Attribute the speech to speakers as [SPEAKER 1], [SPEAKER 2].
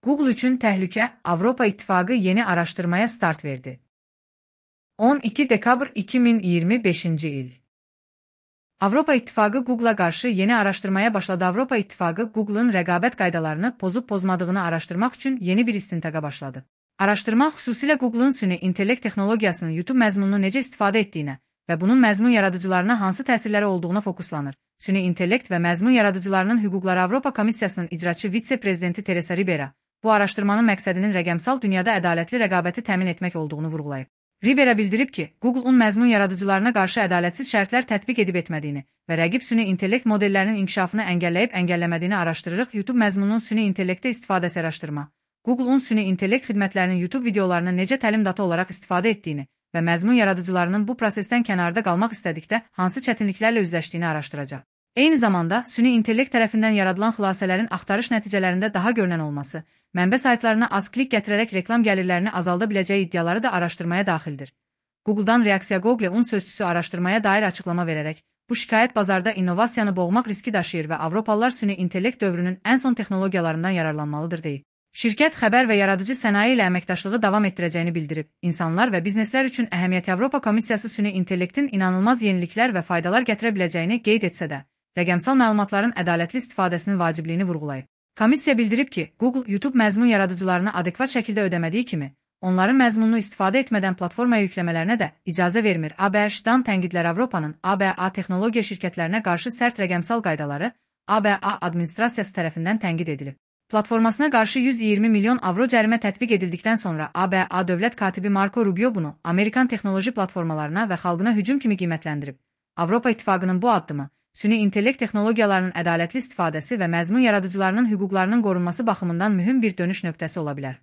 [SPEAKER 1] Google üçün təhlükə, Avropa İttifaqı yeni araşdırmaya start verdi. 12 dekabr 2025-ci il. Avropa İttifaqı Google'a qarşı yeni araşdırmaya başladı. Avropa İttifaqı Google'ın rəqabət qaydalarını pozub-pozmadığını araşdırmaq üçün yeni bir istintaqa başladı. Araşdırma xüsusilə Google'ın süni intellekt texnologiyasının YouTube məzmununu necə istifadə etdiyinə və bunun məzmun yaradıcılarına hansı təsirləri olduğuna fokuslanır. Süni intellekt və məzmun yaradıcılarının hüquqları Avropa Komissiyasının icraçı vitse-prezidenti Teresa Ribera bu araşdırmanın məqsədinin rəqəmsal dünyada ədalətli rəqabəti təmin etmək olduğunu vurğulayıb. Ribera bildirib ki, Google-un məzmun yaradıcılarına qarşı ədalətsiz şərtlər tətbiq edib etmədiyini və rəqib süni intellekt modellərinin inkişafını əngəlləyib əngəlləmədiyini araşdırırıq. YouTube məzmununun süni intellektə istifadəsi araşdırma. Google-un süni intellekt xidmətlərinin YouTube videolarını necə təlim data olaraq istifadə etdiyini və məzmun yaradıcılarının bu prosesdən kənarda qalmaq istədikdə hansı çətinliklərlə üzləşdiyini araşdıracaq. Eyni zamanda, süni intellekt tərəfindən yaradılan xülasələrin axtarış nəticələrində daha görünən olması, mənbə saytlarına az klik gətirərək reklam gəlirlərini azalda biləcəyi iddiaları da araşdırmaya daxildir. Google'dan reaksiya Google-un sözçüsü araşdırmaya dair açıqlama verərək, bu şikayət bazarda innovasiyanı boğmaq riski daşıyır və Avropalılar süni intellekt dövrünün ən son texnologiyalarından yararlanmalıdır deyib. Şirkət xəbər və yaradıcı sənaye ilə əməkdaşlığı davam etdirəcəyini bildirib. İnsanlar və bizneslər üçün əhəmiyyəti Avropa Komissiyası süni intellektin inanılmaz yeniliklər və faydalar gətirə biləcəyini qeyd etsə də, rəqəmsal məlumatların ədalətli istifadəsinin vacibliyini vurğulayıb. Komissiya bildirib ki, Google YouTube məzmun yaradıcılarına adekvat şəkildə ödəmədiyi kimi, onların məzmununu istifadə etmədən platformaya yükləmələrinə də icazə vermir. ABŞ-dan tənqidlər Avropanın ABA texnologiya şirkətlərinə qarşı sərt rəqəmsal qaydaları ABA administrasiyası tərəfindən tənqid edilib. Platformasına qarşı 120 milyon avro cərimə tətbiq edildikdən sonra ABA dövlət katibi Marco Rubio bunu Amerikan texnoloji platformalarına və xalqına hücum kimi qiymətləndirib. Avropa İttifaqının bu addımı süni intellekt texnologiyalarının ədalətli istifadəsi və məzmun yaradıcılarının hüquqlarının qorunması baxımından mühüm bir dönüş nöqtəsi ola bilər.